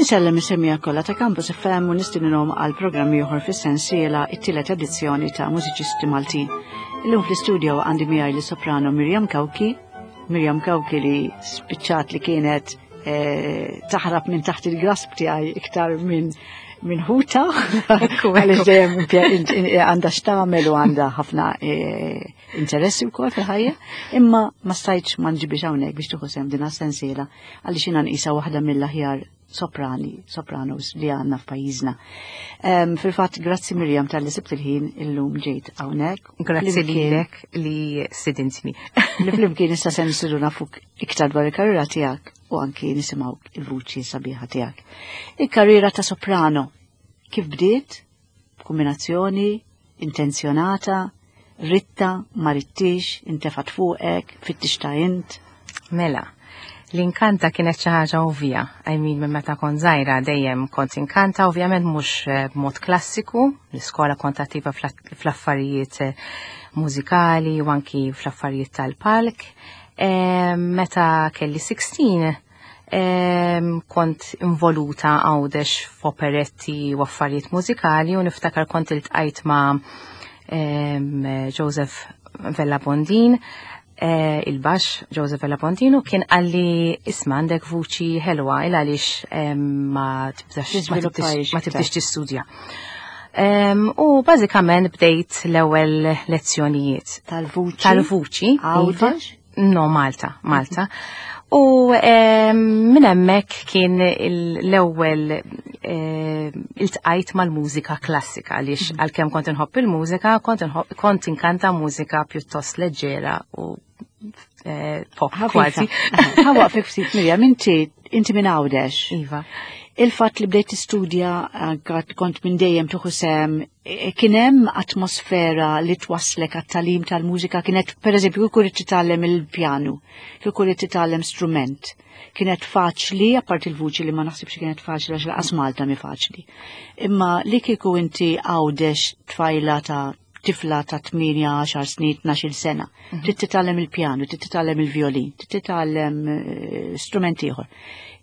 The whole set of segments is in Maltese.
Insellem is-semija kollha ta' Campus FM u nistininhom għal programm ieħor fis-sensiela it-tielet edizzjoni ta' Mużiċisti Maltin. Illum fl-istudio għandi miegħi li soprano Miriam Kawki, Miriam Kawki li spiċċat li kienet eh, taħrab minn taħt il-grasp tiegħi iktar minn minn ħuta, għaliex dejjem għandha x'tagħmel u għandha ħafna eh, interessi wkoll fil-ħajja, imma ma stajtx ma nġibix hawnhekk biex tieħu sehem din sensiela għaliex jiena nqisha waħda mill-aħjar soprani, sopranos li għandna f'pajjiżna. Um, Fil-fatt, grazzi Mirjam tal-li sibt il-ħin illum ġejt hawnhekk. Grazzi lilek li sidintni. Li flimkien issa se nsiru nafuk iktar dwar il-karriera tiegħek u anki nisimgħu il-vuċi sabiħa tiegħek. Il-karriera ta' soprano kif bdiet? Kombinazzjoni, intenzjonata, ritta, ma rittix, intefat fuqek, fittix ta' int. Mela, l-inkanta kienet xi ħaġa ovvja. I mean, minn meta kont żgħira dejjem kont inkanta, ovvjament mhux eh, b'mod klassiku, l-iskola kont attiva fl-affarijiet eh, mużikali u anki fl-affarijiet tal-palk. Eh, meta kelli 16, kont involuta għawdex f'operetti u affarijiet mużikali u niftakar kont iltqajt ma' Joseph Vella Bondin, eh, il-bax Joseph Vella Bondin u kien għalli isma għandek vuċi ħelwa il għaliex ma tibdax ma tibdix tistudja. U bażikament bdejt l-ewwel lezzjonijiet. Tal-vuċi? Tal-vuċi. Iva. No, Malta, Malta. U minn hemmhekk kien l-ewwel iltqajt mal-mużika klassika għaliex mhm. għalkemm kont inħobb il-mużika, kont inkanta mużika pjuttost leġġera u eh, pop kważi. Ħa fik ftit Mirjam, inti inti minn Għawdex. Iva. Il-fatt li bdejt tistudja kont minn dejjem tuħu sem E, kien hemm atmosfera li twasslek għat-talim tal-mużika kienet pereżempju kieku rid titgħallem il-pjanu, kieku rid titgħallem strument. Kienet faċli, apparti il-vuċi li ma naħsibx kienet faċli għax laqas Malta mi faċli. Imma li kieku inti għawdex tfajla ta' tifla ta' 8, 10 snin, 12 sena, mhm. trid titgħallem il-pjanu, trid titgħallem il-violin, trid titgħallem eh, strument ieħor.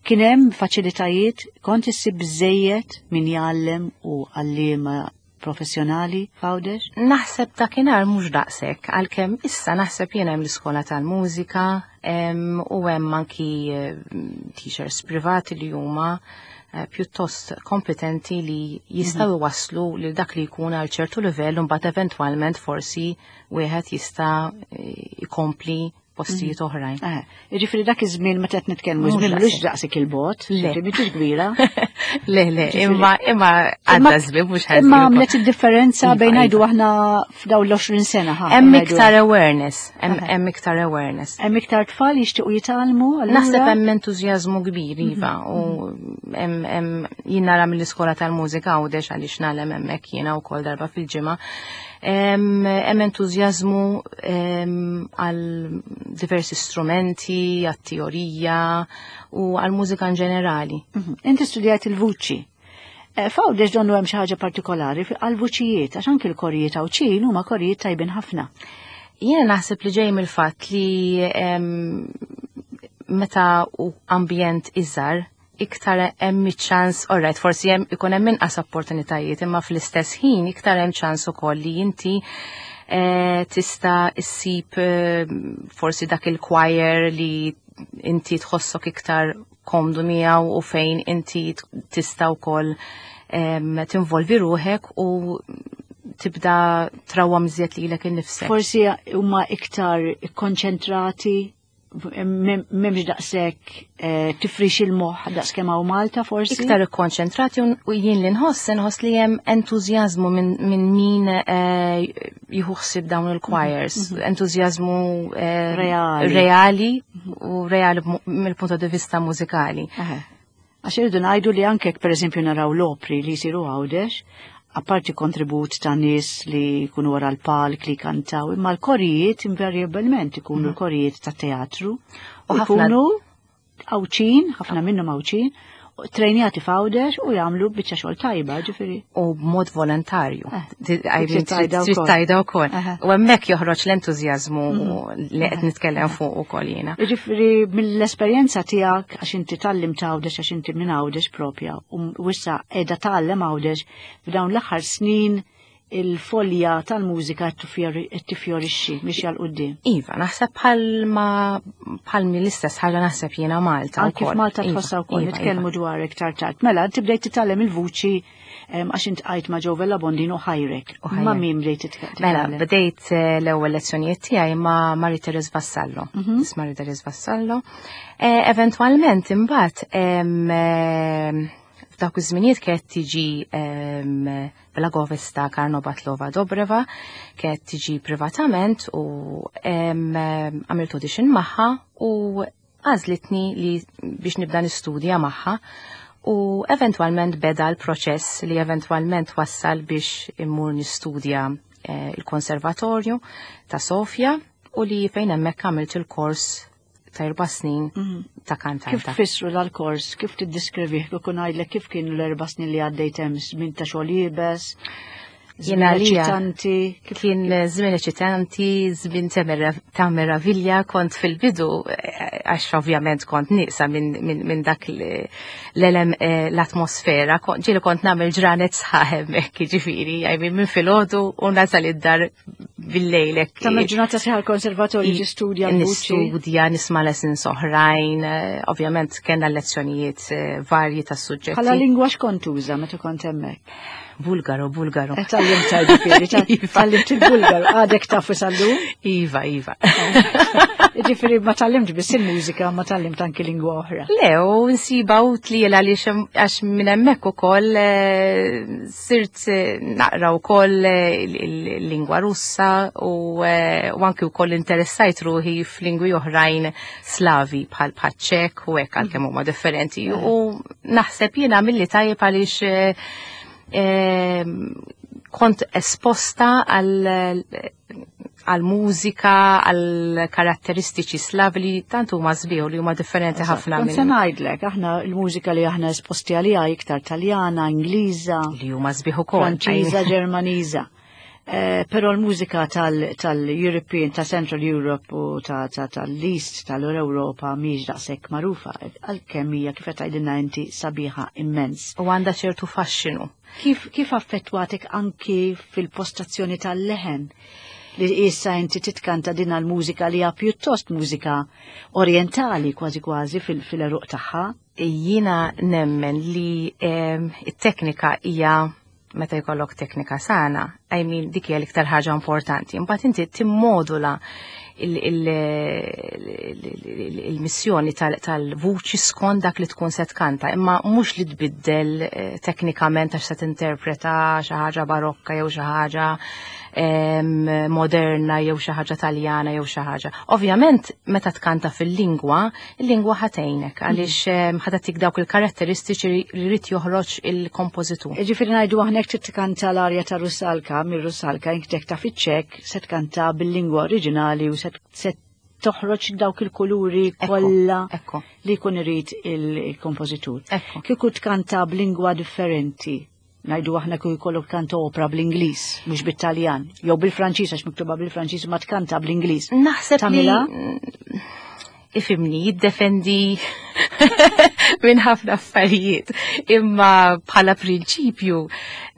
Kien hemm faċilitajiet, kont issib biżejjed min jgħallem u għalliema professjonali f'Għawdex? Naħseb dakinhar mhux daqshekk, għalkemm issa naħseb jiena hemm l-iskola tal-mużika u hemm anki eh, teachers privati li huma eh, pjuttost kompetenti li jistgħu mhm. waslu lil dak li jkun għal ċertu livell u mbagħad eventwalment forsi wieħed jista' eh, ikompli postijiet mhm. oħrajn. Eh, jiġifieri dak iż-żmien meta qed nitkellmu żmien mhux daqsik il-bot, ġifieri mhix kbira. Le, le, imma imma għadda żmien mhux ħażin. Imma għamlet id-differenza iva, bejn ngħidu iva. aħna f'dawn l-20 sena. Hemm iktar awareness, hemm iktar awareness. Hemm iktar tfal jixtiequ jitgħallmu. Naħseb hemm entużjażmu kbir mhm. iva u hemm jien nara mill-iskola tal-mużika għawdex għaliex nagħlem hemmhekk jiena wkoll darba fil-ġimgħa Hemm entużjażmu għal diversi strumenti, għat-teorija u għal mużika in ġenerali. Mhm. Inti studjajt il-vuċi. Eh, Fawdex donnu hemm xi ħaġa partikolari għal vuċijiet, għax anki l-korijiet Għawdxin huma korijiet tajbin ħafna. Jiena naħseb li ġej mill-fatt li meta u ambjent iżgħar iktar hemm iċ-ċans, alright, forsi hemm ikun hemm inqas opportunitajiet, imma fl-istess ħin iktar hemm ċans ukoll li inti eh, tista' issib eh, forsi dak il-choir li inti tħossok iktar komdu miegħu u fejn inti tista' wkoll tinvolvi ruħek u tibda trawwa miżjed lilek innifsek. Forsi huma iktar ikkonċentrati memx daqsek eh, tifrix il-moħ daqs kemm hawn Malta forsi. Iktar ikkonċentrati u jien li nħoss nħoss li hemm entużjażmu minn min eh, jieħu ħsieb dawn il-choirs, mhm, mhm. entużjażmu eh, reali. reali u reali mill-punto di vista mużikali. Għax irridu ngħidu li anke jekk pereżempju naraw l-opri li jsiru Għawdex, apparti kontribut ta' nies li jkunu wara l-palk li jkantaw, imma l-korijiet invariablement ikunu mm. l-korijiet ta' teatru u jkunu Għawdxin, ħafna minnhom Għawdxin, Trejnjati f'Għawdex u jagħmlu biċċa xogħol tajba, ġifieri. U b'mod volontarju. Eh, trid tajda wkoll. U hemmhekk joħroġ l-entużjażmu mhm. li qed nitkellem fuq ukoll jiena. Ġifieri mill-esperjenza tiegħek għax inti tallim t'Għawdex għax inti minn Għawdex propja u issa qiegħda tgħallem Għawdex f'dawn l-aħħar snin il-folja tal-mużika qed tifjorixxi mixja 'l quddiem. Iva, naħseb bħalma bħal l-istess ħaġa naħseb jiena Malta. Anki f'Malta iva, tħossha wkoll iva, nitkellmu iva. dwar iktar tard. Mela, inti bdejt titgħallem il-vuċi għax int qajt ma' Joe Vella Bondin u ħajrek. Ma' min bdejt titgħallem? Mela, bdejt eh, l-ewwel lezzjonijiet tiegħi ma' Marie Therese Vassallo. Mhm. Marie Therese Vassallo. Eh, eventwalment imbagħad eh, F'dawk iż-żminijiet kienet tiġi ehm, Blagovesta Karnobatlova Dobreva, kienet tiġi privatament u ehm, għamilt audition magħha u għażlitni li biex nibda nistudja magħha u eventwalment beda l-proċess li eventwalment wassal biex immur nistudja eh, il-konservatorju ta' Sofja u li fejn hemmhekk għamilt il-kors ta' erba' snin mhm. ta' kantanta. Kif tfissru dal-kors, kif tiddiskrivih, kif ngħidlek kif kienu l-erba' snin li għaddejt hemm żmien ta' xogħol iebes? Jena eċitanti. Kien żmien eċitanti, żmien ta' meravilja, kont fil-bidu, eh, għax ovvjament kont nieqsa minn dak l-elem eh, l-atmosfera, ġieli kont nagħmel ġranet sħaħ hemmhekk, jiġifieri, minn filgħodu u nasal id-dar bil-lejlek. Tagħmel ġurnata sħiħa l-konservatorju tistudja Nistudja, nisma' lessons oħrajn, eh, ovvjament kellna lezzjonijiet eh, varji ta' suġġetti. Bħala lingwa x'kont tuża meta kont hemmhekk? Bulgaru, Bulgaru. Eh, tallimt ġifieri, iva. tallimt il-Bulgaru, għadek tafu sal-lum? Iva, iva. Ġifieri ma tallimt biss il-mużika, ma tallimt anki lingwa oħra. Le, u nsiba utli għaliex għax minn hemmhekk ukoll sirt eh, naqra wkoll eh, il-lingwa Russa u eh, anki wkoll interessajt ruħi f'lingwi oħrajn Slavi bħal ċek u hekk għalkemm huma differenti. U naħseb jiena milli tajjeb għaliex kont esposta għal għal mużika, għal karatteristiċi slavi li tant huma sbieħ li huma differenti ħafna minn. Se ngħidlek, aħna l-mużika li aħna esposti għaliha iktar Taljana, Ingliża, li huma sbieħ ukoll. Franċiża, Ġermaniża. Eh, però l-mużika tal-European, ta' Central Europe u tal-East tal-Europa mhix daqshekk magħrufa, għalkemm hija kif qed tgħidilna inti sabiħa immens. U għandha ċertu faxxinu. Kif, kif affettwatek anki fil-postazzjoni tal-leħen li issa inti titkanta din l-mużika li hija pjuttost mużika orientali kważi kważi fil-eruq tagħha? Jiena nemmen li ehm, it-teknika hija meta jkollok teknika sana, I mean dik hija l-iktar ħaġa importanti. Imbagħad inti timmodula il-missjoni tal-vuċi skont dak li tkun se tkanta, imma mhux li tbiddel eh, teknikament għax se tinterpreta xi ħaġa barokka jew xi ħaġa moderna jew xi ħaġa Taljana jew xi ħaġa. Ovvjament meta tkanta fil-lingwa, il-lingwa ħatejnek għaliex ħatatik dawk il-karatteristiċi li jrid joħroġ il-kompożitur. Ġifieri ngħidu aħna jekk tkanta l-arja ta' Rusalka mir-Rusalka jekk ta' fiċ-Ċek se tkanta bil-lingwa oriġinali u se toħroġ dawk il-kuluri kollha li jkun irid il-kompożitur. Kieku tkanta b'lingwa differenti, ngħidu aħna kieku jkollok tkanta opra bl-Ingliż, mhux bit-Taljan, jew bil-Franċiż għax miktuba bil-Franċiż ma tkanta bl-Ingliż. Naħseb li ifimni, jiddefendi minn ħafna affarijiet. Imma bħala prinċipju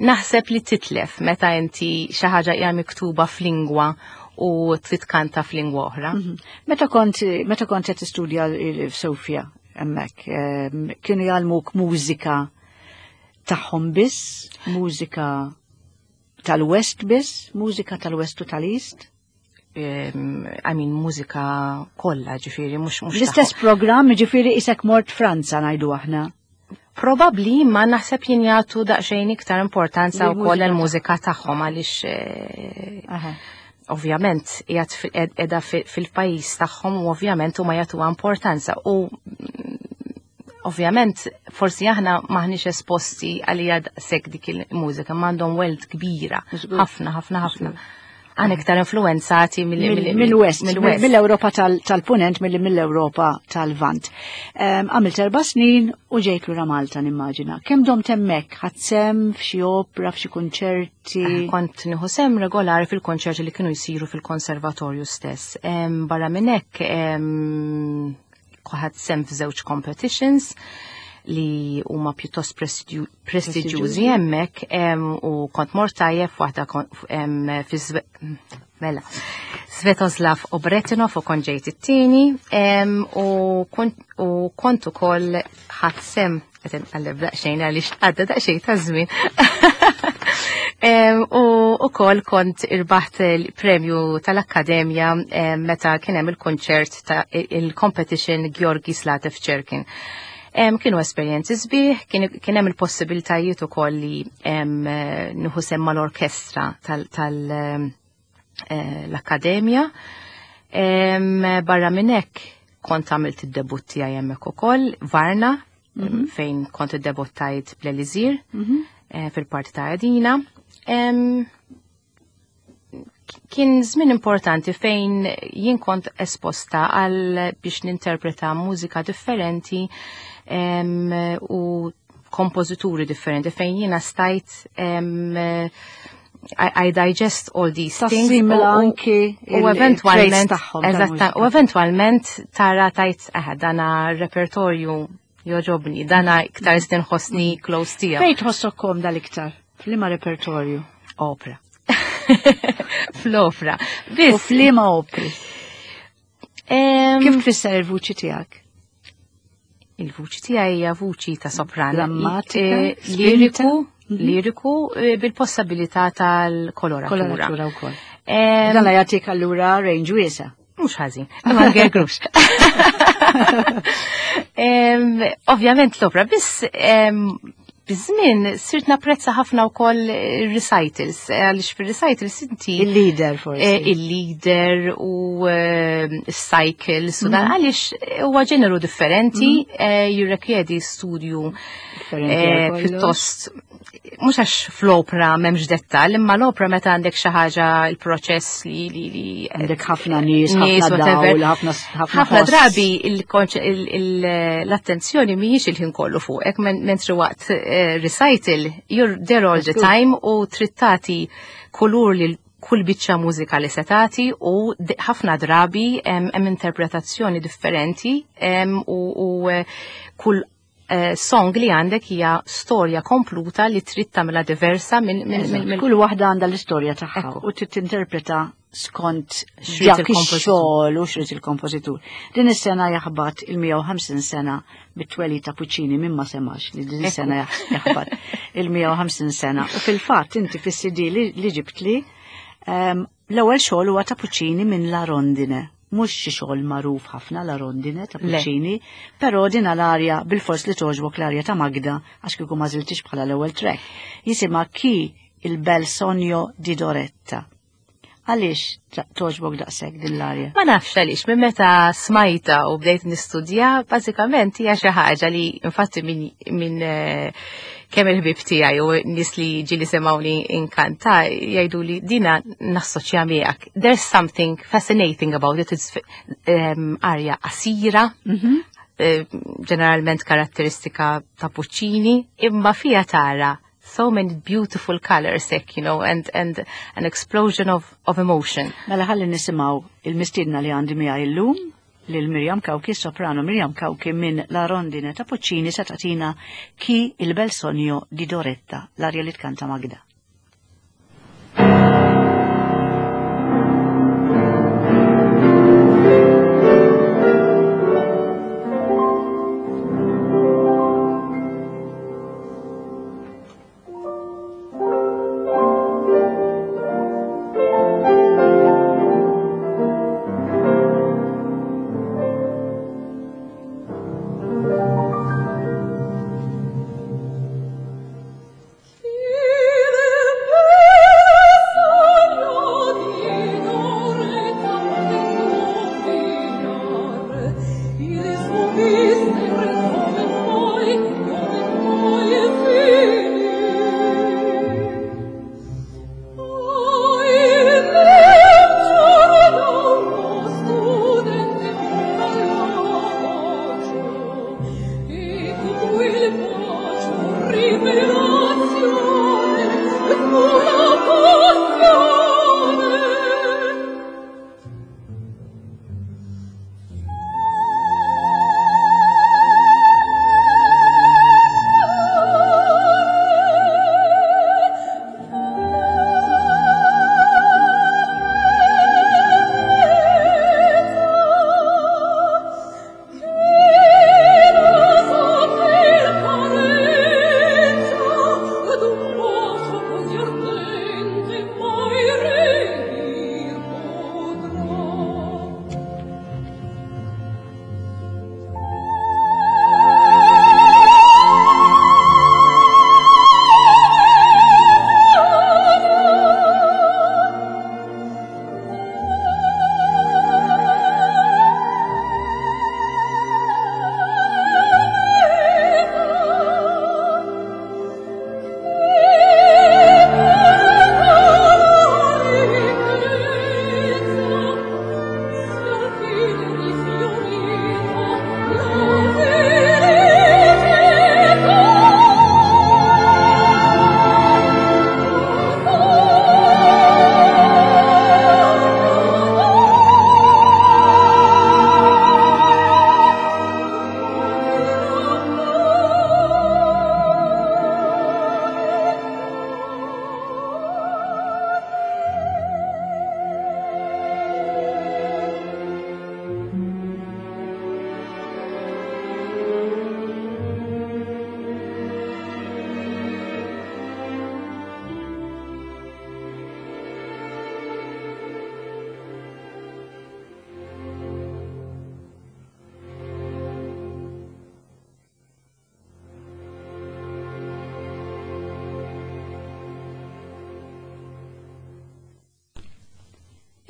naħseb li titlef meta inti xi ħaġa hija miktuba f'lingwa u trid tkanta f'lingwa oħra. Mhm. Meta kont meta kont qed tistudja f'Sofja hemmhekk, ehm, kienu jgħallmuk mużika tagħhom biss, mużika tal-West biss, mużika tal-West u tal-East? I mean, mużika kollha, ġifieri, mhux mhux. L-istess programm, ġifieri isek mort Franza ngħidu aħna. Probabli ma naħseb jien jagħtu daqsxejn iktar importanza wkoll il-mużika tagħhom għaliex eh, ovvjament qiegħed qiegħda fil-pajjiż tagħhom u ovvjament huma jagħtuha importanza u mm, ovvjament forsi aħna maħniex esposti għalija daqshekk dik il-mużika m'għandhom welt kbira ħafna ħafna ħafna. Għan iktar influenzati mill-West, mill-Europa tal-Punent, mill-Europa tal-Vant. Għamilt 4 snin u ġejt lura Malta, nimmaġina. Kemm domt hemmhekk? Ħadt sehem f'xi opra, f'xi kunċerti? Kont nieħu sehem regolari fil-konċerti li kienu jsiru fil-konservatorju stess. Barra minn hekk ħadt sehem f'żewġ competitions li huma pjuttost prestiġjużi hemmhekk u kont mort tajjeb waħda fi mela Svetoslav Obretenov u kont ġejt it-tieni u kont ukoll ħadt sehem, qed inqalleb daqsxejn għaliex għadda daqsxejn ta' żmien. U ukoll kont irbaħt il-premju tal-Akkademja meta kien hemm il-konċert ta' il-competition Georgi Zlatev Cherkin. Kienu esperjenzi sbieħ, kien hemm il-possibiltajiet ukoll li nieħu sehem mal-orkestra tal-akkademja. Barra minn hekk kont għamilt id-debutt tiegħi hemmhekk ukoll, Varna, fejn kont iddebuttajt bl-Elisir fil-parti ta' Edina. Kien żmien importanti fejn jien kont esposta għal biex ninterpreta mużika differenti u kompożituri differenti fejn jiena stajt I digest all these things. Tassimila anki u eventualment, u eventualment tara tajt, eh, dana repertorju jogħġobni, dana iktar nħossni close tiegħu. Fejn tħossok komda l-iktar? F'liema repertorju? Opera. Fl-opera. U f'liema opri? Kif tfisser il-vuċi tiegħek? Il-vuċi tiegħi hija vuċi ta' sopran. Drammatika, liriku, liriku bil-possibilità tal-koloratura. Koloratura wkoll. Dan jagħtik allura range wiesa'. Mhux ħażin, ma ngergrux. Ovvjament l-opra, biss biż-żmien sirt napprezza ħafna wkoll recitals, għaliex fir-recitals inti Il-lieder forsi. Il-lieder u cycles u dan għaliex huwa ġeneru differenti, jirrikjedi studju pjuttost, mhux għax fl-opra m'hemmx dettal, imma l-opra meta għandek xi ħaġa, il-proċess li għandek ħafna nies, ħafna dawl, ħafna ħafna drabi l-attenzjoni mhijiex il-ħin kollu fuqek, mentri waqt recital you're there all the time u trid tagħti kulur lil kull biċċa mużika li se tagħti u ħafna drabi hemm interpretazzjoni differenti u kull song li għandek hija storja kompluta li trid tagħmilha diversa minn Kull waħda għandha l-istorja tagħha u trid tinterpreta skont dak ix-xogħol u xrid il-kompożitur. Din is-sena jaħbat il-150 sena bit-twelid ta' Puccini, minn ma semax li din is-sena jaħbat il-150 sena. U fil-fatt inti fis-CD li ġibtli l-ewwel xogħol huwa ta' Puccini minn La Rondine, mhux xi xogħol magħruf ħafna La Rondine ta' Puccini, però din l-arja bil-fors li togħġbok, l-arja ta' Magda, għax kieku ma żiltix bħala l-ewwel track. Jisimha Chi il bel sogno di Doretta. Għaliex togħġbok daqshekk din l-arja? Ma nafx għaliex, minn meta smajta u bdejt nistudja, bażikament hija xi ħaġa li infatti minn kemm il-ħbib tiegħi u nies li ġieli semgħuni inkanta jgħidu li dina nassoċja miegħek. There's something fascinating about it. It's arja qasira, ġeneralment karatteristika ta' Puccini, imma fija tara so many beautiful colors, and an explosion of emotion. Mela ħalli nisimgħu il-mistiedna li għandi miegħi illum, lil Miriam Cauchi, soprano Miriam Cauchi, minn La Rondine ta' Puccini se tagħtina Chi il bel sogno di Doretta, l-arja li tkanta Magda.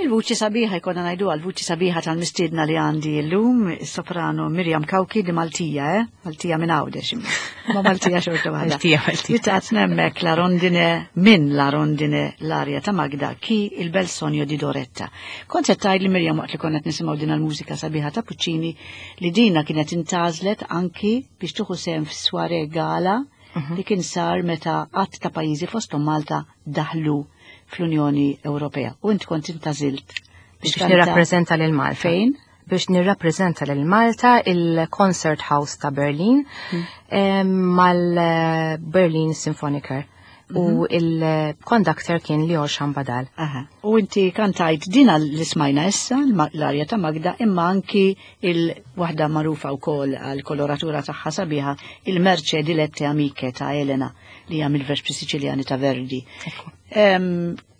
Il-vuċi sabiħa jkollna ngħidu għal vuċi sabiħa tal-mistiedna li għandi llum, is-soprano Miriam Cauchi di Maltija, eh? Maltija minn Għawdex, ma Maltija xorta waħda. Maltija, Maltija. Li tatna hemmhekk la rondine minn la rondine l-arja ta' Magda ki il bel sogno di Doretta. Kont qed tgħid li Miriam waqt li konna qed nisimgħu din il-mużika sabiħa ta' Puccini li dina kienet intgħażlet anki biex tieħu sehem fis-soirée gala li kien sar meta għadd ta' pajjiżi fosthom Malta daħlu fl-Unjoni Ewropea. U int kont intgħażilt biex nirrappreżenta lil Malta. Fejn? Biex nirrappreżenta lil Malta il-Concert House ta' Berlin mal-Berlin Symphoniker. U il-conductor kien Lior Shambadal. Aha. U inti kantajt dina li smajna issa, l-arja ta' Magda, imma anki il-waħda magħrufa wkoll għal koloratura tagħha sabiħa, il-Merce Dilette Amiche ta' Elena, li hija mill-Vespri Siciliani ta' Verdi.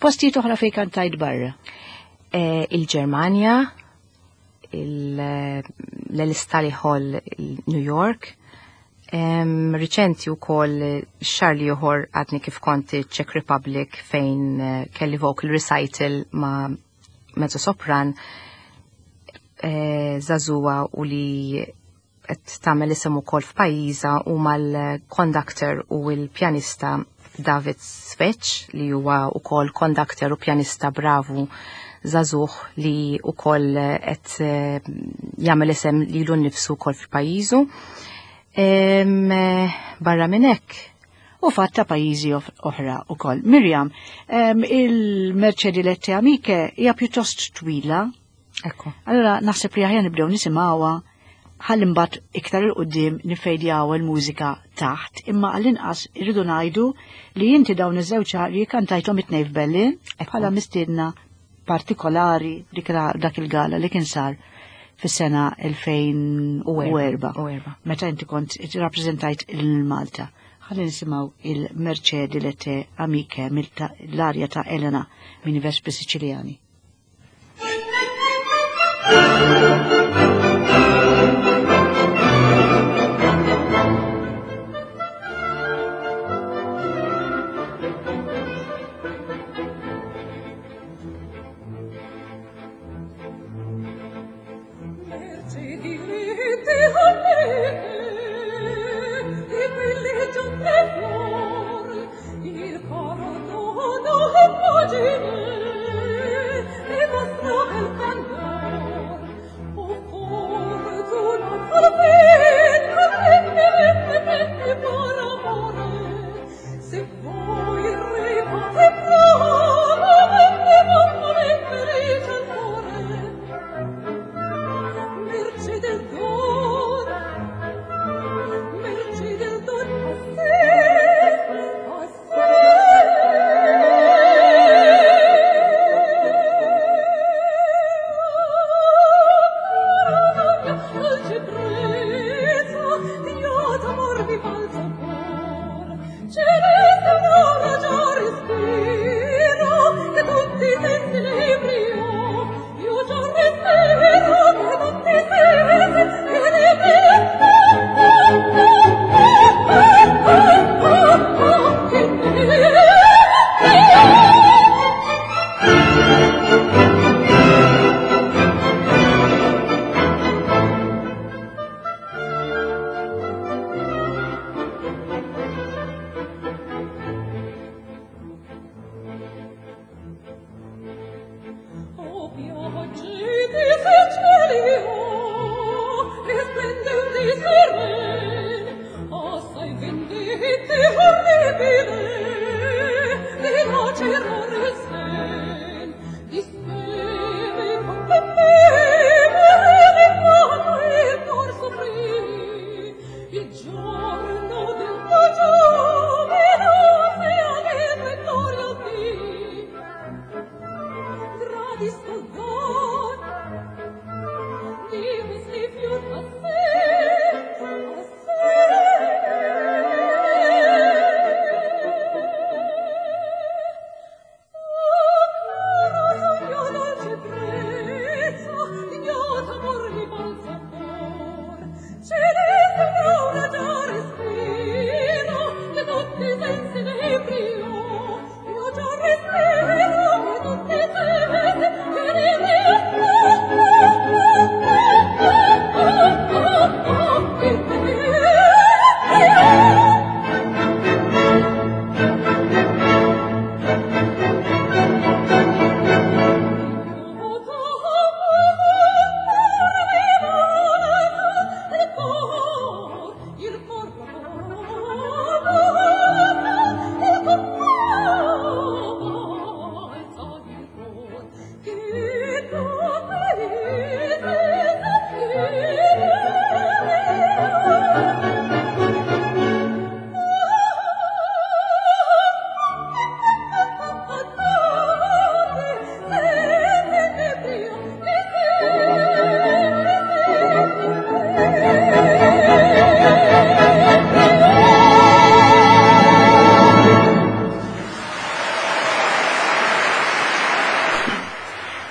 Postijiet oħra fejn kantajt barra? Il-Ġermanja, l-Stali Hall New York, riċenti u koll xahar l-ieħor għadni kif kont Czech Republic fejn kelli vocal recital ma' mezzo sopran żagħżugħa u li qed tagħmel isem ukoll f'pajjiżha u mal-conductor u l-pjanista David Svech li huwa ukoll conductor u pjanista bravu żagħżugħ li ukoll qed jagħmel isem lilu nnifsu wkoll f'pajjiżu. Barra minn hekk u fatta pajjiżi oħra ukoll. Miriam, il-Merce Dilette Amiche hija pjuttost twila. Ekku. Allora naħseb li aħjar nibdew nisimgħuha ħalli mbagħad iktar 'il quddiem nifejdjaw il-mużika taħt, imma għall-inqas irridu ngħidu li inti dawn iż-żewġ arji kantajthom it-tnejn f'Berlin bħala mistiedna partikolari dak il-gala li kien sar fis-sena 2004. U erba. Meta inti kont rappreżentajt il-Malta. Ħalli nisimgħu il-Merce Dilette Amiche mill-arja ta' Elena minn Vespri Siciliani. Merce dilette amiche, di quelle giunte fior, il caro dono immagine e vostro bel candor. O fortuna salvetta, venne, venne per amore, se voi ricate prova, venne, venne, venne, rice al cuore. Merce del don, merce del don a sé, a sé. Dolce brezza, io d'amor mi balza cor. Celeste un'ora già respiro, che tutti i sensi ne brio. Io già respiro, che tutti i sensi ne brio. Che ne brio. O piogge di cieli, oh, e splendenti seren, assai vendette orribile, di lacerare il sen, di speme contempevole, di quanto il cor soffrì, il giorno del tuo giubilo sia allegro e gloria dì. Gradisco don di questi fior a sé, a sé. O caro sogno dolce brezza, ignota amor mi balza cor. Celeste un'aura già respiro, che tutti i sensi ne brio. Io già respiro, che tutti i sensi ne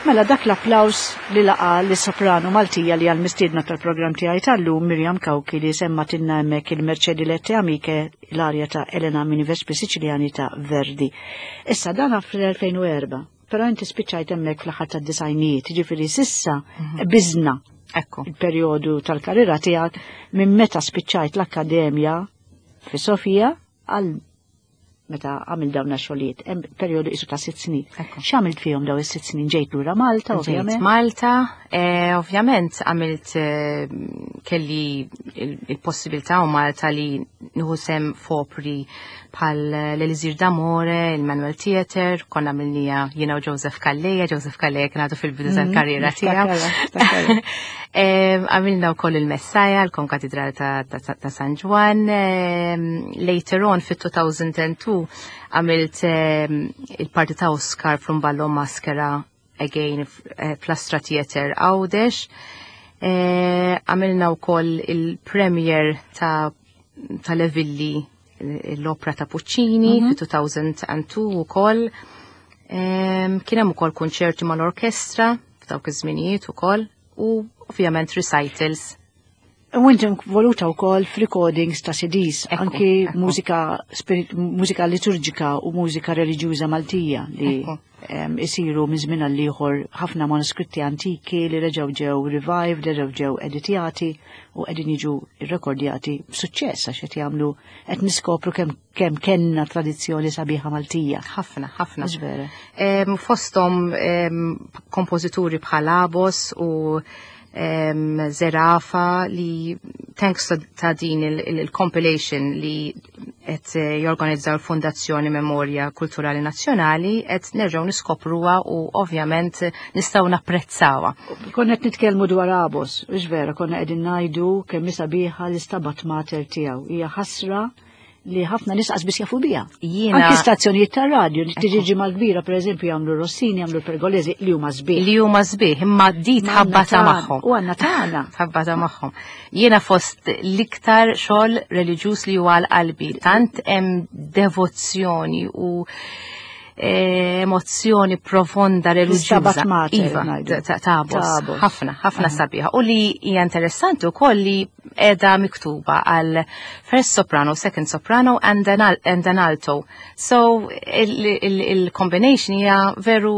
Mela dak l-applaus li laqa li soprano Maltija li għal-mistiedna tal-programm tiegħi tal-lum Miriam Cauchi li semmatilna hemmhekk il-Mercedi Lette Amiche l-arja ta' Elena minn Vespri Siciliani ta' Verdi. Issa dan fl-2004, però inti spiċċajt hemmhekk fl-aħħar tad-disajnijiet, ġifieri sissa biżna Ekku. il-perjodu tal-karriera tiegħek minn meta spiċċajt l-akkademja fi Sofija għal meta għamil dawn xogħlijiet, hemm perjodu isu ta' 6 snin. Ekku. X'għamilt fihom daw is-6 snin? Ġejt lura Malta, Ġejt ovvjament. Malta, ovvjament għamilt kelli il-possibilità u Malta li nieħu sehem f'opri bħal l-Elisir d'Amore, il-Manuel Theatre, konna għamilnieha jiena u Joseph Calleja, Joseph Calleja kien għadu fil-bidu tal-karriera tiegħu. Niftakarha, niftakarha. Għamilna wkoll il-Messaja, l-Konkatedral ta' San Ġwann. Later on fit-2002 għamilt il-parti ta' Oscar from Ballo Maschera again fl-Astra Theatre Għawdex. Għamilna wkoll il-premiere ta' Le Villi, l-opera ta' Puccini fi 2002 ukoll. Kien hemm ukoll konċerti mal-orkestra f'dawk iż-żminijiet ukoll u ovvjament recitals. U inti involuta wkoll f'recordings ta' CDs, anki mużika liturġika u mużika reliġjuża Maltija li isiru minn żmien għal ieħor, ħafna manuskritti antiki li reġgħu ġew revived, reġgħu ġew editjati u qegħdin jiġu rrekordjati b'suċċess għax qed jagħmlu qed niskopru kemm kellna tradizzjoni sabiħa Maltija. Ħafna, ħafna. Mhux vera? Fosthom kompożituri bħal Abos u Zerafa li thanks ta' din il-compilation li qed jorganizzaw l-Fondazzjoni Memorja Kulturali Nazzjonali qed nerġgħu niskopruha u ovvjament nistgħu napprezzawha. Konna qed nitkellmu dwar Abos, mhux vera, konna qegħdin ngħidu kemm hi sabiħa l-Istabat Mater tiegħu. Hija ħasra li ħafna nies qas biss jafu biha. Anki stazzjonijiet ta' radio, tiġi ġimgħa kbira, pereżempju, jagħmlu Rossini, jagħmlu Pergolesi li huma sbieħ. Li huma sbieħ, imma di Ma tħabbata għandna magħhom. U għandna tagħna. Tħabbata magħhom. Jiena fost l-iktar xogħol reliġjuż li huwa għal qalbi, tant hemm devozzjoni u emozzjoni profonda reliġjuża. L-Istabat Mater, Iva, ngħidu. ta' Abos. Ta' Abos. Ħafna, ħafna sabiħa. U li hija interessanti wkoll li qiegħda miktuba għal first soprano, second soprano and an alto. So il-combination hija veru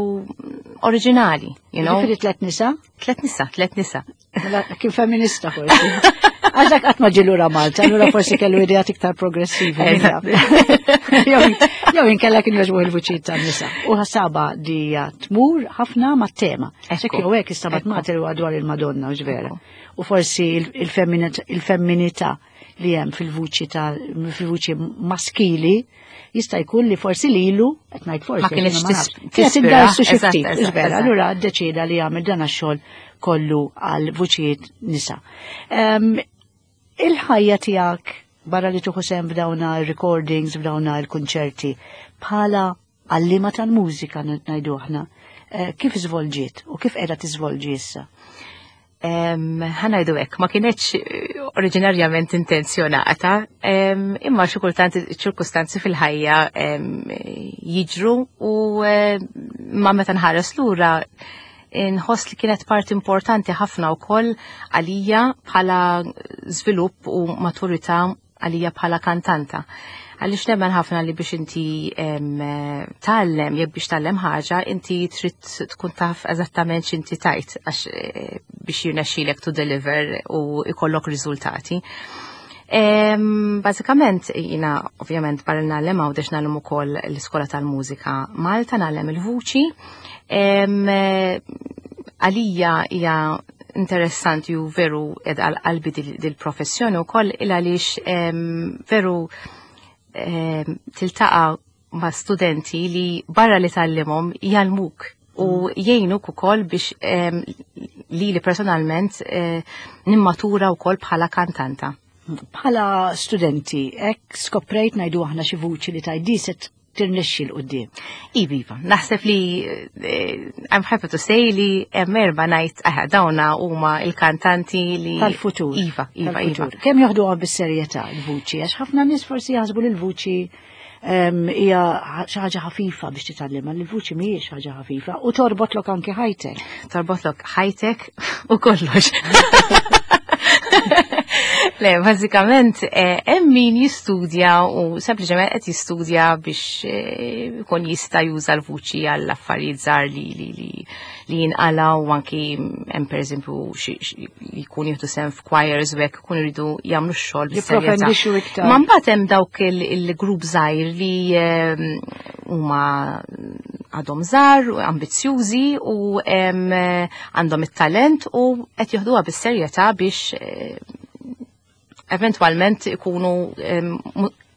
oriġinali. Ġifieri tliet nisa? Tlet nisa, tlet nisa. Mela, kien femminista forsi. Għax qatt ma ġie lura Malta, allura forsi kellu ideat iktar progressivi. Min jaf. Jew inkella kien jogħġbu il-vuċijiet tan-nisa. U ħasaba di tmur ħafna mat-tema. Sekk jew hekk Istabat Mater huwa dwar il-Madonna, u vera. U forsi il-femminità li hemm fil-vuċi maskili jista' jkun li forsi lilu, qed ngħid forsi, Ma kienx għax jiena ma nafx, kienet tispira, iddarsu xi ftit, vera. Allura ddeċieda li jagħmel dan għax-xogħol kollu għal vuċijiet nisa. Il-ħajja tiegħek barra li tieħu sehem f'dawna il-recordings, f'dawna il-konċerti, bħala għallima tal-mużika ngħidu aħna, kif żvolġiet u kif qiegħda tiżvolġi issa? Ħa ngħidu hekk, ma kienetx oriġinarjament intenzjonata, imma xi kultant ċirkustanzi fil-ħajja jiġru u ma meta nħares lura nħoss li kienet parti importanti ħafna wkoll għalija bħala żvilupp u maturità għalija bħala kantanta. Għaliex nemmen ħafna li biex inti tgħallem, jekk biex tgħallem ħaġa, inti trid tkun taf eżattament x'inti tajt għax biex jirnexxilek to deliver u ikollok riżultati. Bażikament, jiena ovvjament barra ngħallem Għawdex ngħallem ukoll l-Iskola tal-Mużika Malta, ngħallem il-vuċi. Għalija hija interessanti u veru ed għal qalbi dil-professjoni u koll il għaliex veru tiltaqa ma' studenti li barra li tgħallimhom jgħallmuk u jgħinuk ukoll biex li personalment nimmatura wkoll bħala kantanta. Bħala studenti, hekk skoprejt ngħidu aħna xi vuċi li tajdi se tirnexxi 'l quddiem? Iva, naħseb li I'm happy to say li hemm erba' ngħid aha dawna huma il-kantanti li Tal-futur. Iva. Tal-futur. Kemm joħduha bis-serjetà l-vuċi? Għax ħafna nies forsi jaħsbu li l-vuċi Hija xi ħaġa ħafifa biex titgħallimha, li l-vuċi mhijiex ħaġa ħafifa u torbotlok anki ħajtek. Torbotlok ħajtek u kollox. Le, bażikament eh, hemm min jistudja u sempliċement qed jistudja biex eh, ikun jista' juża l-vuċi għall affarijiet żgħar li li li li jinqalaw u anki hemm pereżempju li jkun jieħdu sehem f'choirs u hekk ikunu jridu jagħmlu x-xogħol bis-serjetà. Iktar. Ma mbagħad hemm dawk il-grupp żgħir li ehm, huma għadhom żgħar, ambizzjużi u ehm, għandhom it-talent u qed jieħduha bis-serjetà biex eh, eventwalment ikunu ehm,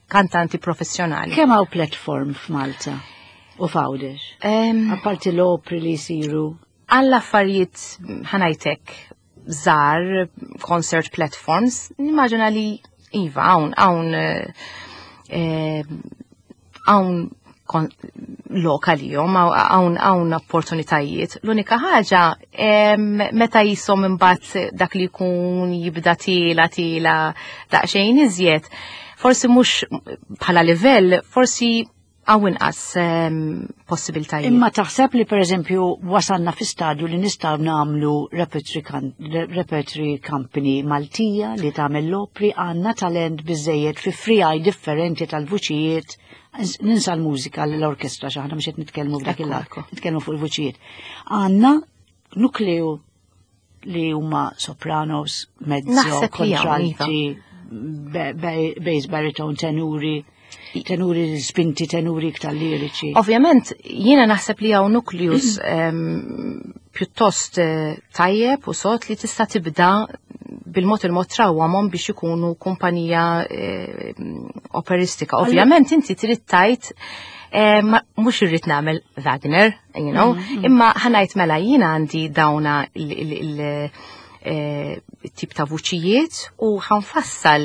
kantanti professjonali. Kemm hawn platform f'Malta u f'Għawdex? Apparti l-opri li jsiru. Għall affarijiet ħanajtek żgħar concert platforms, nimmaġina li iva hawn hawn eh, hawn lokali jom, hawn hawn opportunitajiet. L-unika ħaġa meta jisom imbagħad dak li jkun jibda tiela tiela daqsxejn iżjed, forsi mhux bħala livell, forsi hawn inqas possibiltajiet. Imma taħseb li pereżempju wasalna fi stadju li nistgħu nagħmlu repertory company Maltija li tagħmel l-opri għandna talent biżejjed fi frijaj differenti tal-vuċijiet ninsa l-mużika l-orkestra xaħna mhux qed nitkellmu f'dak il-lat, nitkellmu fuq il-vuċijiet. Għandna nukleu li huma sopranos, mezzo, kontralti, iva. bass baritone, tenuri, tenuri spinti, tenuri iktar liriċi. Ovvjament, jiena naħseb li hawn nukleus pjuttost eh, tajjeb u sot li tista' tibda bil-mod il-mod trawwamhom biex ikunu kumpanija eh, operistika. Ovvjament inti trid tajt eh, mhux irrid nagħmel Wagner, you know, mm, mm. imma ħanajt mela jiena għandi dawna il-tip eh, ta' vuċijiet u ħanfassal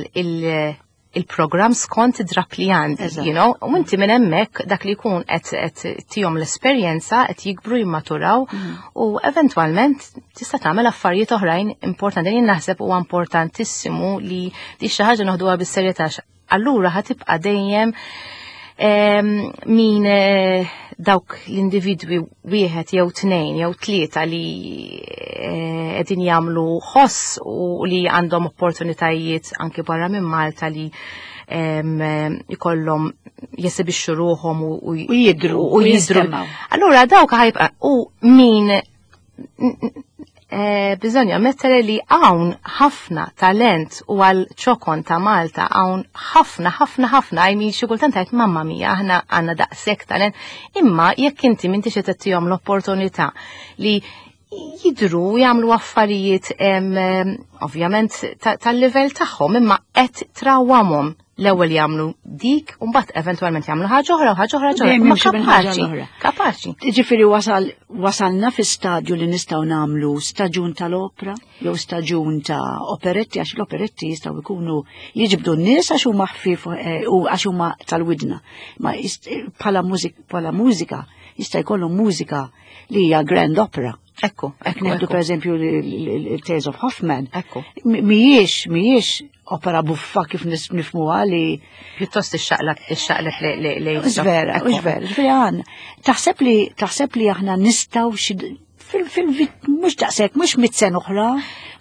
il-programm skont id-drap li għandi, you know, u inti minn hemmhekk dak li jkun qed tihom l-esperjenza qed jikbru jimmaturaw mm. u eventwalment tista' tagħmel affarijiet oħrajn importanti. Jien naħseb huwa importantissimu li di xi ħaġa noħduha bis-serjetà allura ħatibqa' dejjem min eh, dawk l-individwi wieħed jew tnejn jew tlieta li eh, qegħdin jagħmlu ħoss u li għandhom opportunitajiet anki barra minn Malta li ikollhom jesibixxu ruħhom u jidru u jidru. Allura dawk ħajbqa' u min Eh, bżonn jammettere li hawn ħafna talent u għal ċokon ta' Malta hawn ħafna ħafna ħafna I mean xi kultant għajt mamma mia aħna għandna daqshekk talent imma jekk inti m'intix qed tagħtihom l-opportunità li jidru jagħmlu affarijiet ovvjament tal-livell tagħhom imma qed trawwamhom l-ewwel jagħmlu dik u mbagħad eventwalment jagħmlu ħaġa oħra u ħaġa oħra ħaġa oħra. Ma kapaċi, kapaċi. Ġifieri wasal wasalna fi stadju li nistgħu nagħmlu staġun tal-opra jew staġun ta' operetti għax l-operetti jistgħu jkunu jiġbdu n-nies għax huma ħfief eh, u għax huma tal-widna. Ma bħala bħala mużika jista' jkollhom mużika li hija grand opera. Ekku, ekku. Neħdu per eżempju il-Tales of Hoffman. Ekku. Mijiex, mijiex opera buffa kif nifmuha li. Pjuttost ixxaqleb, ixxaqleb li li. Vera, vera, vera għan. Taħseb li, taħseb li aħna nistaw xi fil mhux daqshekk, mhux mit-sen oħra.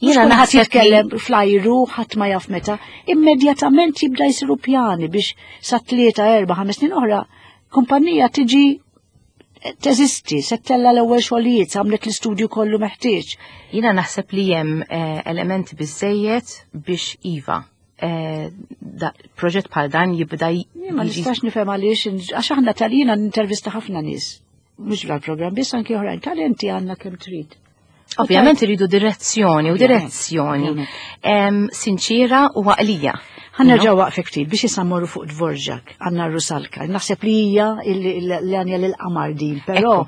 Jiena naħseb jitkellem flajru, ħadd ma jaf meta, immedjatament jibda jsiru pjani biex sa tlieta, erba' ħames snin oħra, kumpanija tiġi teżisti, se tella l-ewwel xogħlijiet, għamlet l-istudju kollu meħtieġ. Jiena naħseb li hemm eh, elementi biżejjed biex iva eh, proġett bħal dan jibda Ma nistax nifhem għaliex għax aħna tal-jiena nintervista ħafna nies. Mhux fl-programm biss anke oħrajn talenti għandna kemm trid. Ovvjament iridu direzzjoni u direzzjoni sinċira u għaqlija. Ħannerġaw waqfek ftit biex issa mmorru fuq Dvorak, għandna Rusalka. Naħseb li hija l-għanja lil qamar din, però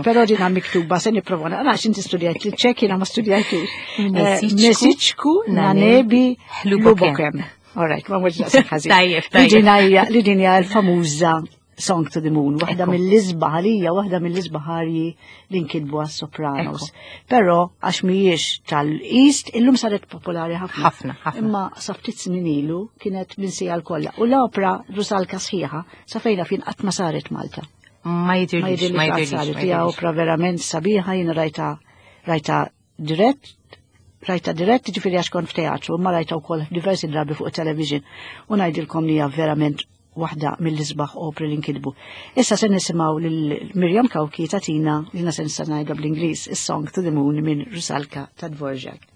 però din miktuba se nipprova naqra inti studjajt li ċek jiena ma studjajtux. Eh, Mesiċku nanebi Hlubokem. All right, ma mhux naqseb ħażin. Tajjeb, tajjeb. Li din hija l-famuża Song to the Moon, waħda mill-isbaħ għalija, waħda mill-isbaħ arji li nkitbu għas-Sopranos. Però għax mhijiex tal-East, illum saret popolari ħafna. Ħafna, ħafna. Imma sa ftit snin ilu kienet minsija l-kollha. U l-opra Rusalka sħiħa sa fejna fin qatt ma saret Malta. Ma jidirlix, ma jidirlix. saret. Hija opra verament sabiħa, jiena rajta rajta dirett, rajta dirett, ġifieri għax kont f'teatru, imma rajta wkoll diversi drabi fuq television u ngħidilkom li hija verament waħda mill-isbaħ opri li nkitbu. Issa se nisimgħu lil Mirjam Cauchi tagħtina li se nista' ngħidha bl-Ingliż is-Song to the Moon minn Rusalka ta' Dvorak.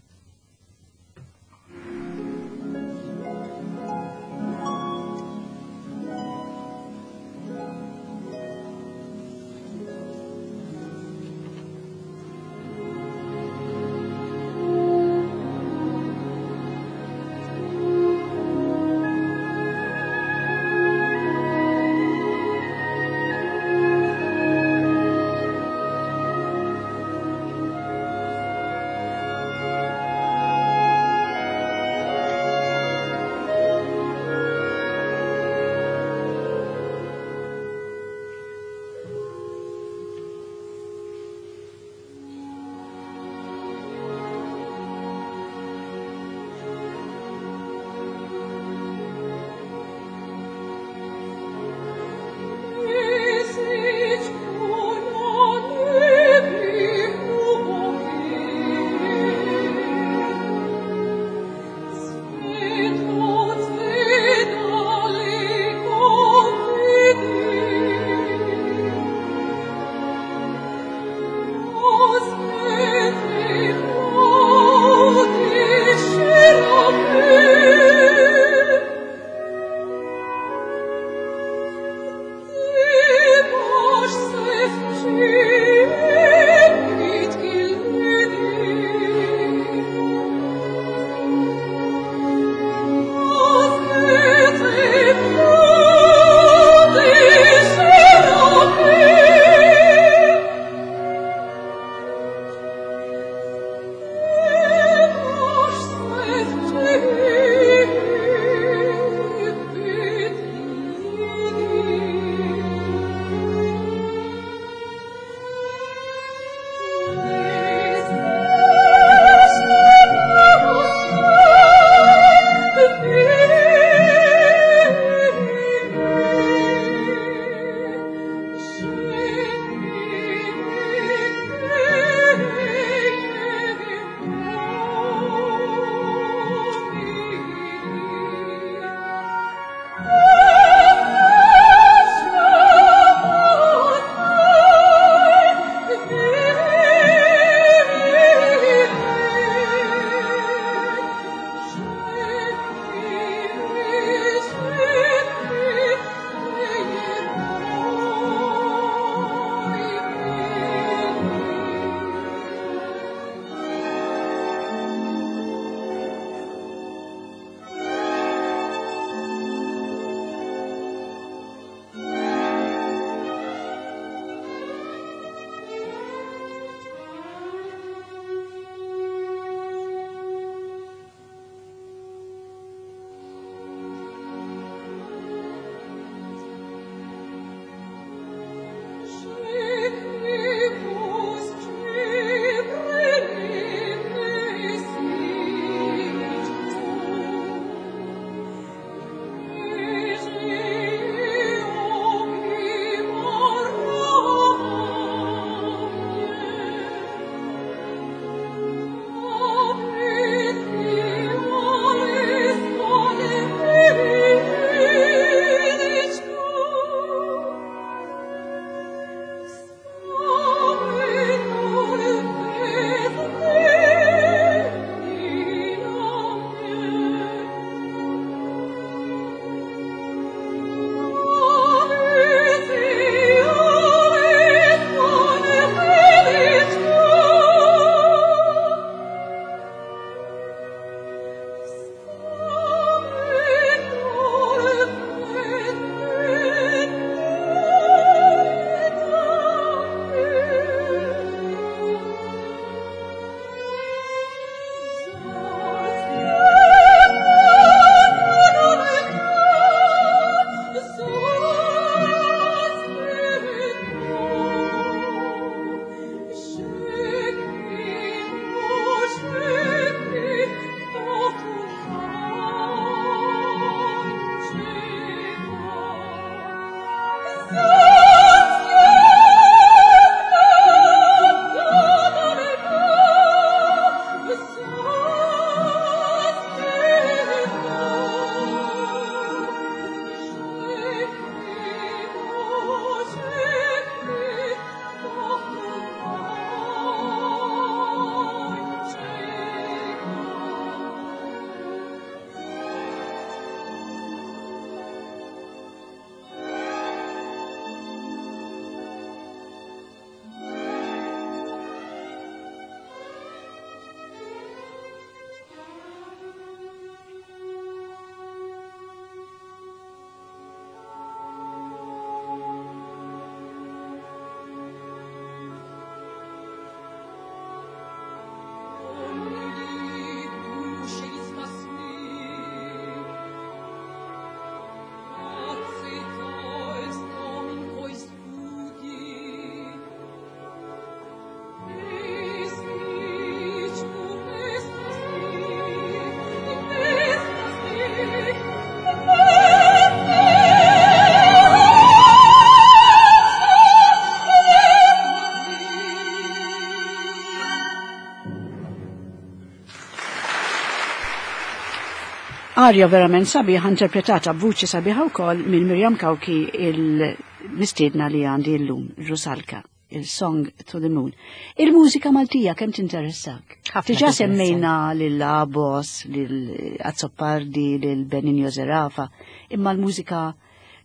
Arja verament sabiħa interpretata b'vuċi sabiħa wkoll minn Miriam Cauchi il-mistiedna li għandi llum, Rusalka, il-Song to the Moon. Il-mużika Maltija kemm tinteressak? Diġà semmejna lil Abos, lil Azzopardi, lil Benigno Zerafa, imma l-mużika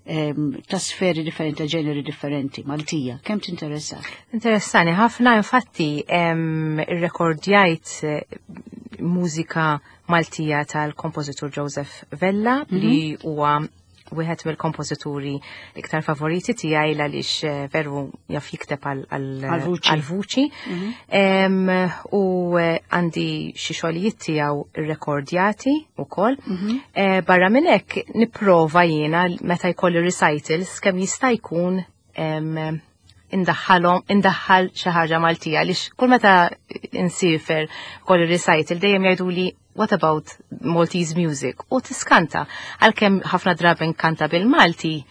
ta' sferi differenti, ta' ġeneri differenti, Maltija, kemm tinteressak? Interessani ħafna, infatti, irrekordjajt mużika Maltija tal-kompożitur Joseph Vella li huwa wieħed mill-kompożituri iktar favoriti tiegħi għaliex veru jaf jikteb għal-vuċi. U għandi xi xogħlijiet tiegħu rrekordjati wkoll. Barra minn hekk nipprova jiena meta jkolli recitals kemm jista' jkun indaħħal xi ħaġa Maltija għaliex kull meta insiefer kolli recital dejjem jgħiduli what about Maltese music? U tiskanta, għalkemm ħafna drabi nkanta bil-Malti,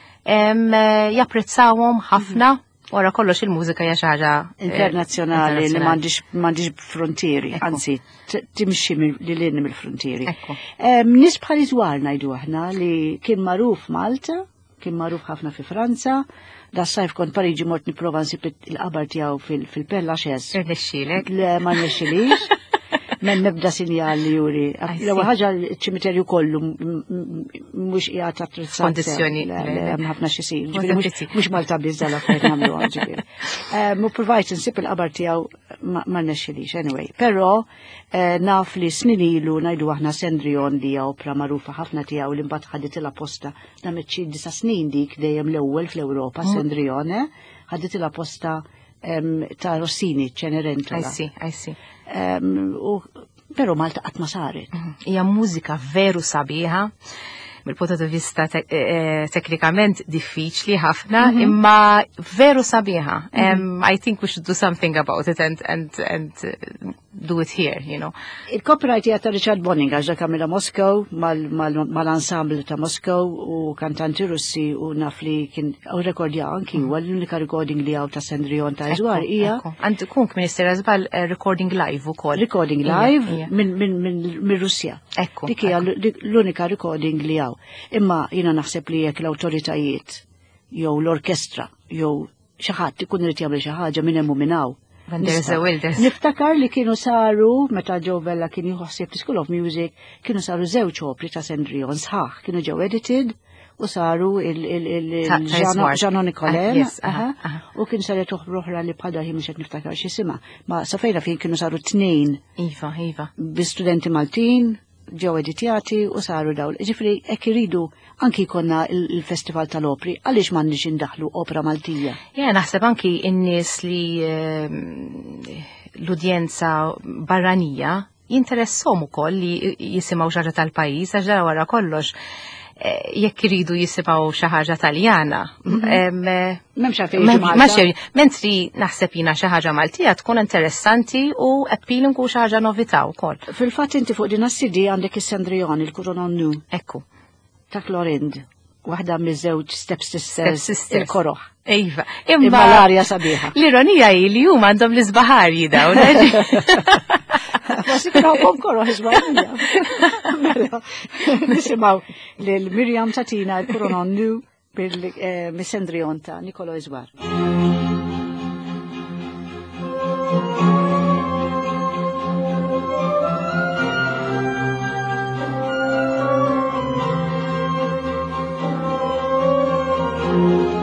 japprezzawhom ħafna, wara kollox il-mużika hija xi ħaġa internazzjonali li m'għandix frontieri, anzi timxi lil hinn mill-frontieri. Nies bħal Iżwar ngħidu aħna li kien magħruf Malta, kien magħruf ħafna fi Franza, da sajf kont Pariġi mort nipprova nsib il-qabar tiegħu fil-Père Lachaise. Irnexxielek? Le, ma rnexxilix. Men nibda sinjal li juri. L-ewwel ħaġa ċ-ċimiterju kollu mhux qiegħed attrezzat. Kondizzjoni. Le, le, hemm ħafna xi jsir. Ġifieri mhux Malta biss dal-affarijiet nagħmluha, ġifieri. Mu provajt insib il-qabar tiegħu ma rnexxilix anyway. Però naf li snin ilu ngħidu aħna Cendrillon li hija opra magħrufa ħafna tiegħu li mbagħad ħaditilha posta damet xi 9 snin dik dejjem l-ewwel fl-Ewropa, Cendrillon, ħaditilha posta ta' Rossini, Cenerentola. I see, I see. U, però Malta qatt ma saret. Hija mużika veru sabiħa, mill-punto di vista teknikament diffiċli ħafna, imma veru sabiħa. I think we should do something about it and do it here. Il-copyright hija ta' Richard Bonning, għax dak għamilha Moscow, mal-ensemble ta' Moscow u kantanti Russi u naf li kien u rekordja anki huwa l-unika recording li hawn ta' Cendrillon ta' Iżwar hija. Għand kun Minister Azbal recording live ukoll. Recording live minn Russja. Dik hija l-unika recording li hawn. Imma jiena naħseb li jekk l-awtoritajiet jew l-orkestra jew xi ħadd ikun irid jagħmel xi ħaġa minn hemm u minn hawn. When there's a will, there's Niftakar li kienu saru, meta Joe Vella kien jieħu ħsieb School of Music, kienu saru żewġ opri ta' Cendrillon sħaħ, kienu ġew edited u saru Ta' Iswar. Jeannot Nicolin, Yes, aha, u kien saret oħra oħra li bħal ħin mhux qed niftakar x'isimha. Ma sa fejna fejn kienu saru 2. Iva, iva. Bi studenti Maltin, ġew editjati u saru dawl. Ġifieri hekk iridu anki jkollna il-Festival tal-Opri, għaliex m'għandniex indaħlu opra Maltija? Ja, naħseb anki n-nies li l-udjenza barranija jinteressom ukoll li jisimgħu xi ħaġa tal-pajjiż, għax dara wara kollox jekk iridu jisimgħu xi ħaġa Taljana. M'hemmx għalfejn jiġu Malta. Ma xejn, mentri naħseb jiena xi ħaġa Maltija tkun interessanti u appealing u xi ħaġa novità wkoll. Fil-fatt inti fuq din is-CD għandek is-Cendrillon, il-Couronne Nu. Ekku. Ta' Clorinde, waħda miż-żewġ Step Sisters, Step Sisters. il-koroħ. Iva, Imma imma l-arja sabiħa. L-ironija hi li huma għandhom l-isbaħarji dawn. Forsi kienu għandhom koroħ isbaħarja. Mela, nisimgħu lil Miriam Tatina il-Couronne Nu bil mis-Cendrillon ta' Nicolo Iżwar. Thank you.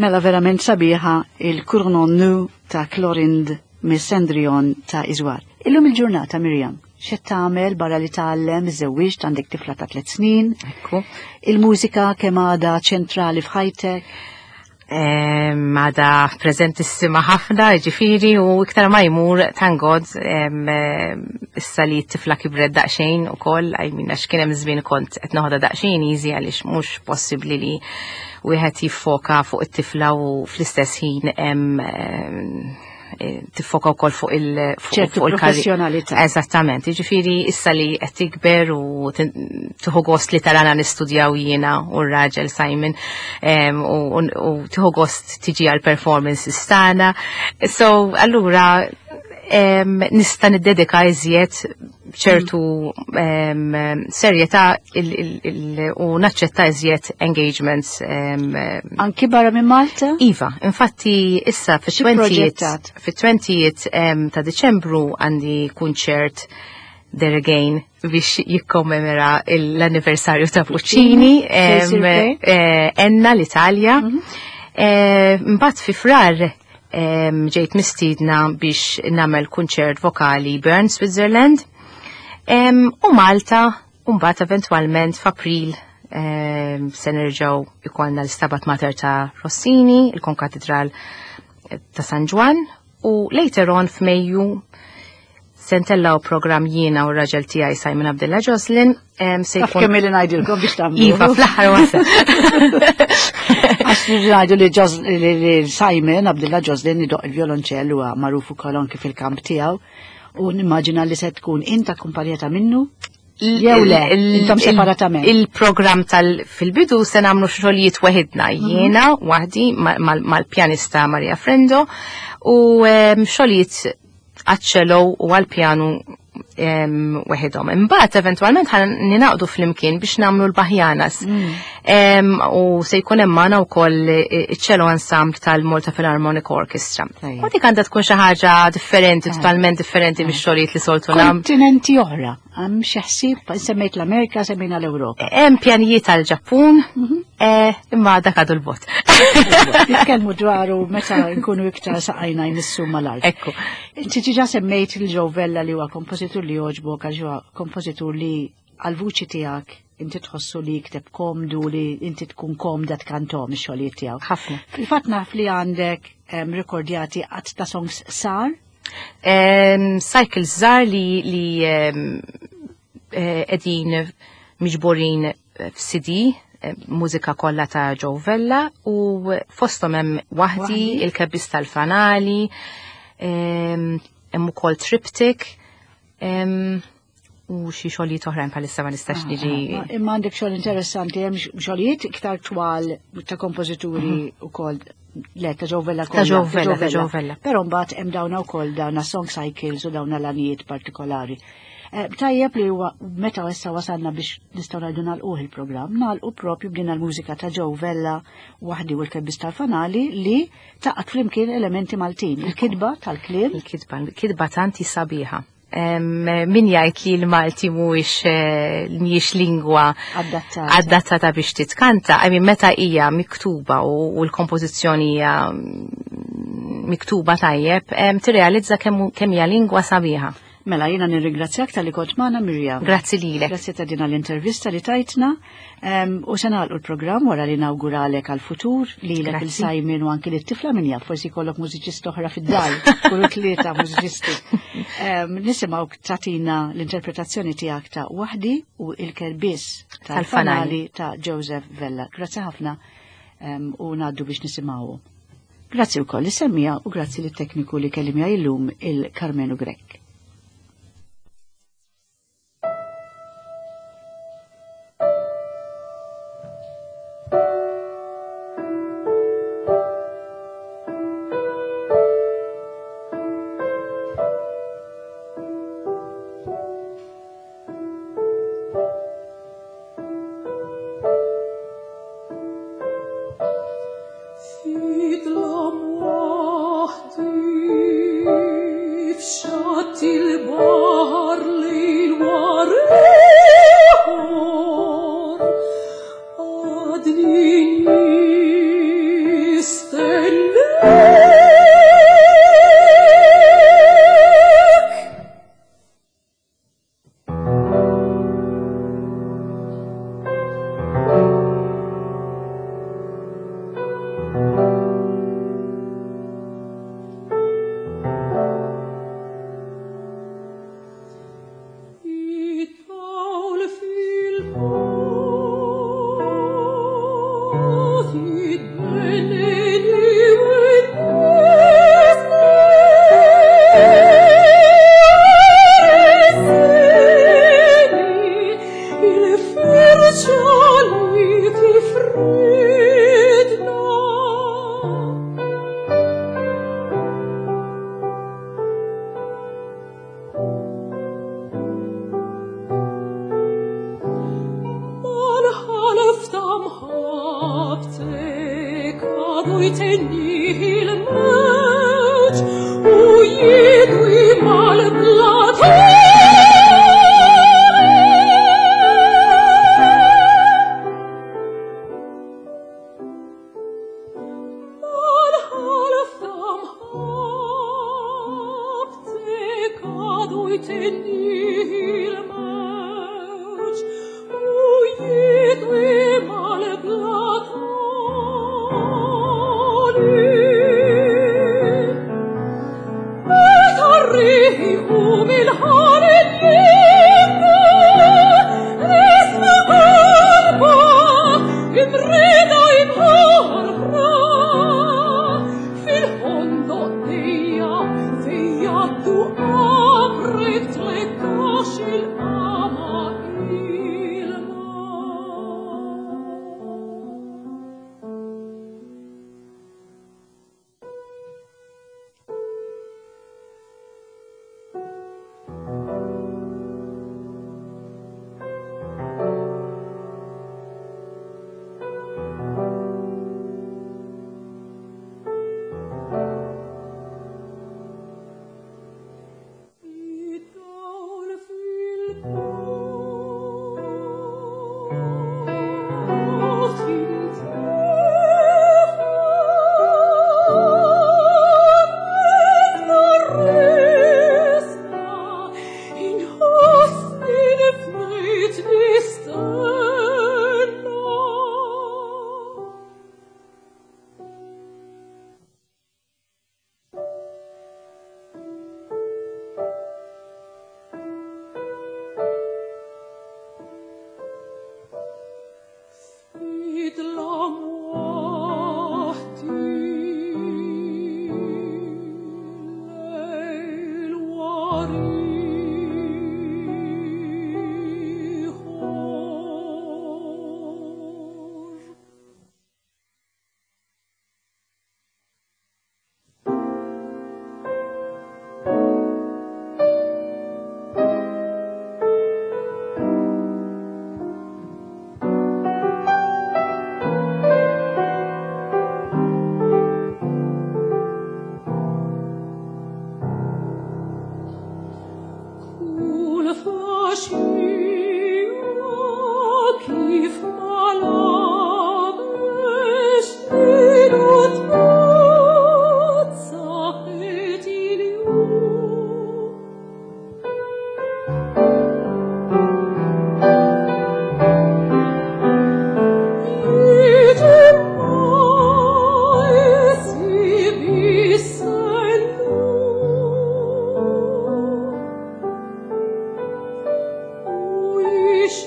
Mela verament sabiħa il-Cournon Nu ta' Clorind mis-Cendrillon ta' Iżwar. Illum il-ġurnata, Miriam, x'qed tagħmel barra li tgħallem, iżżewwiġt, għandek tifla ta' tliet snin. Ekku. Il-mużika kemm għadha ċentrali f'ħajtek? Għada prezentissima ħafna, ġifiri, u iktar ma jmur, thank God, issa li t-tifla kibret daqxejn u koll, I mean, għax kien hemm żmien kont qed noħodha daqxejn easy għaliex mhux possibbli li wieħed jiffoka fuq it-tifla u fl-istess ħin tiffoka wkoll fuq il- ċertu professjonalità. Eżattament, jiġifieri issa li qed tikber u tieħu gost li tarana nistudjaw jiena u r-raġel Simon u tieħu gost tiġi għal performances tagħna. So allura nista' niddedika iżjed ċertu serjetà u naċċetta iżjed engagements. Anki barra minn Malta? Iva, infatti issa fit-20 ta' Diċembru għandi kunċert there again biex jikkommemora l-anniversarju ta' Puccini, Enna l-Italja. Mbagħad fi Frar ġejt mistiedna biex nagħmel kunċert vokali Bern, Switzerland. U Malta, u mbagħad eventwalment f'April se nerġgħu ikollna l-Stabat Mater ta' Rossini, il-Konkatedral ta' San Ġwann, u later on f'Mejju se ntellaw programm jiena u r-raġel tiegħi Simon Abdilla Joslin. Se jkun kemm li ngħidilkom biex tagħmlu. Iva, fl-aħħar wasal. Għax ngħidu li Simon Abdilla Joslin idoq il-violonċell huwa magħruf ukoll anki fil-kamp tiegħu u nimmaġina li se tkun int akkumpanjata minnu. Jew le, intom separatament. Il-programm tal fil-bidu se nagħmlu xogħlijiet weħidna, jiena waħdi mal-pjanista Maria Frendo u xogħlijiet għaċ-cello u għal-pjanu weħidhom. Imbagħad eventwalment ħa ninaqdu flimkien biex nagħmlu l-Baħjanas. U se jkun hemm magħna wkoll iċ-cello ensemble tal-Malta Philharmonic Orchestra. U dik għandha tkun xi ħaġa differenti, totalment differenti mix-xogħlijiet li soltu nagħmlu. Kontinenti oħra, hemm xi ħsieb, semmejt l-Amerika, semmejna l-Ewropa. Hemm pjanijiet għall-Ġappun, imma dak għadu l-bot. Nitkellmu dwaru meta nkunu iktar saqajna jmissu mal-art. Ekku. Inti diġà semmejt il-Joe Vella li huwa kompożitur li jogħġbok għax huwa kompożitur li għal-vuċi tiegħek inti tħossu li jikteb komdu, li inti tkun komda tkantom ix-xogħlijiet tiegħu. Ħafna. Fil-fatt naf li għandek rekordjati qatt ta' songs sar? Cycles żgħar li qegħdin miġburin f'CD, mużika kollha ta' Joe Vella u fosthom hemm waħdi, il-kebbis tal-fanali, hemm ukoll triptych, u xi xogħlijiet oħrajn bħalissa ma nistax niġi. Imma għandek xogħol interessanti, hemm xogħlijiet iktar twal ta' kompożituri ukoll. Le, ta' Joe Vella Ta' Joe kollha, ta' Vella, Joe ta' Joe Vella. Vella. Però mbagħad hemm dawna wkoll dawna song cycles u dawna l-għanijiet partikolari. Tajjeb li huwa meta issa wasalna biex nistgħu ngħidu nagħlquh il-programm, nagħlqu propju b'din il-mużika ta' Joe Vella waħdi u l-kebbis tal-fanali li taqgħod flimkien elementi Maltin, il-kitba tal-kliem. Il-kitba, il-kitba tanti sabiħa. Min jgħid li l-Malti mhijiex lingwa adattata, adattata biex titkanta, I mean, meta hija miktuba u l-kompożizzjoni hija miktuba tajjeb, tirrealizza kemm hija lingwa sabiħa. Mela, jiena nirringrazzjak tal-li kont magħna, Miriam. Grazzi lilek. Grazzi ta' din l-intervista li tajtna. U se nagħlqu l-programm wara li nawguralek għal-futur lilek Grazzi. il-Simon u anki lit-tifla min jaf, forsi jkollok mużiċista oħra fid-dar, kullu tlieta mużiċisti. Nisimgħu tatina l-interpretazzjoni tiegħek ta' Waħdi u il-Kerbis tal-Fanali tal-Fanali ta' Joseph Vella. Grazzi ħafna, u ngħaddu biex nisimgħu. Grazzi wkoll li semmija u grazzi lit-tekniku li kellimja illum il-Karmenu Grech. Fidlam waħdi f'xatt Wish